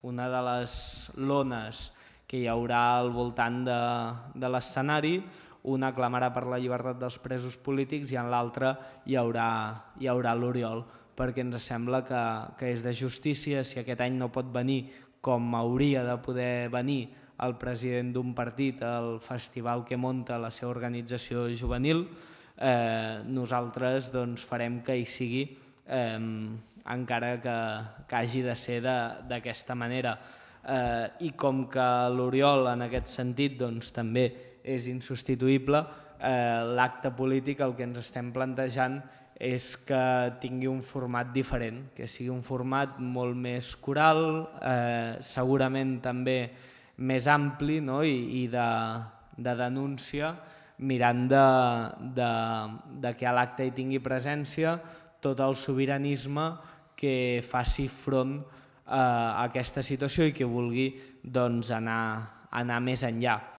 una de les lones que hi haurà al voltant de l'escenari. Una clamarà per la llibertat dels presos polítics i en l'altra hi haurà l'Oriol, perquè ens sembla que és de justícia, si aquest any no pot venir com hauria de poder venir el president d'un partit al festival que munta la seva organització juvenil, nosaltres farem que hi sigui, encara que hagi de ser d'aquesta manera. I com que l'Oriol en aquest sentit també és insubstituïble, l'acte polític el que ens estem plantejant és que tingui un format diferent, que sigui un format molt més coral, segurament també més ampli i de denúncia, mirant de que a l'acte hi tingui presència tot el sobiranisme que faci front a aquesta situació i que vulgui anar més enllà.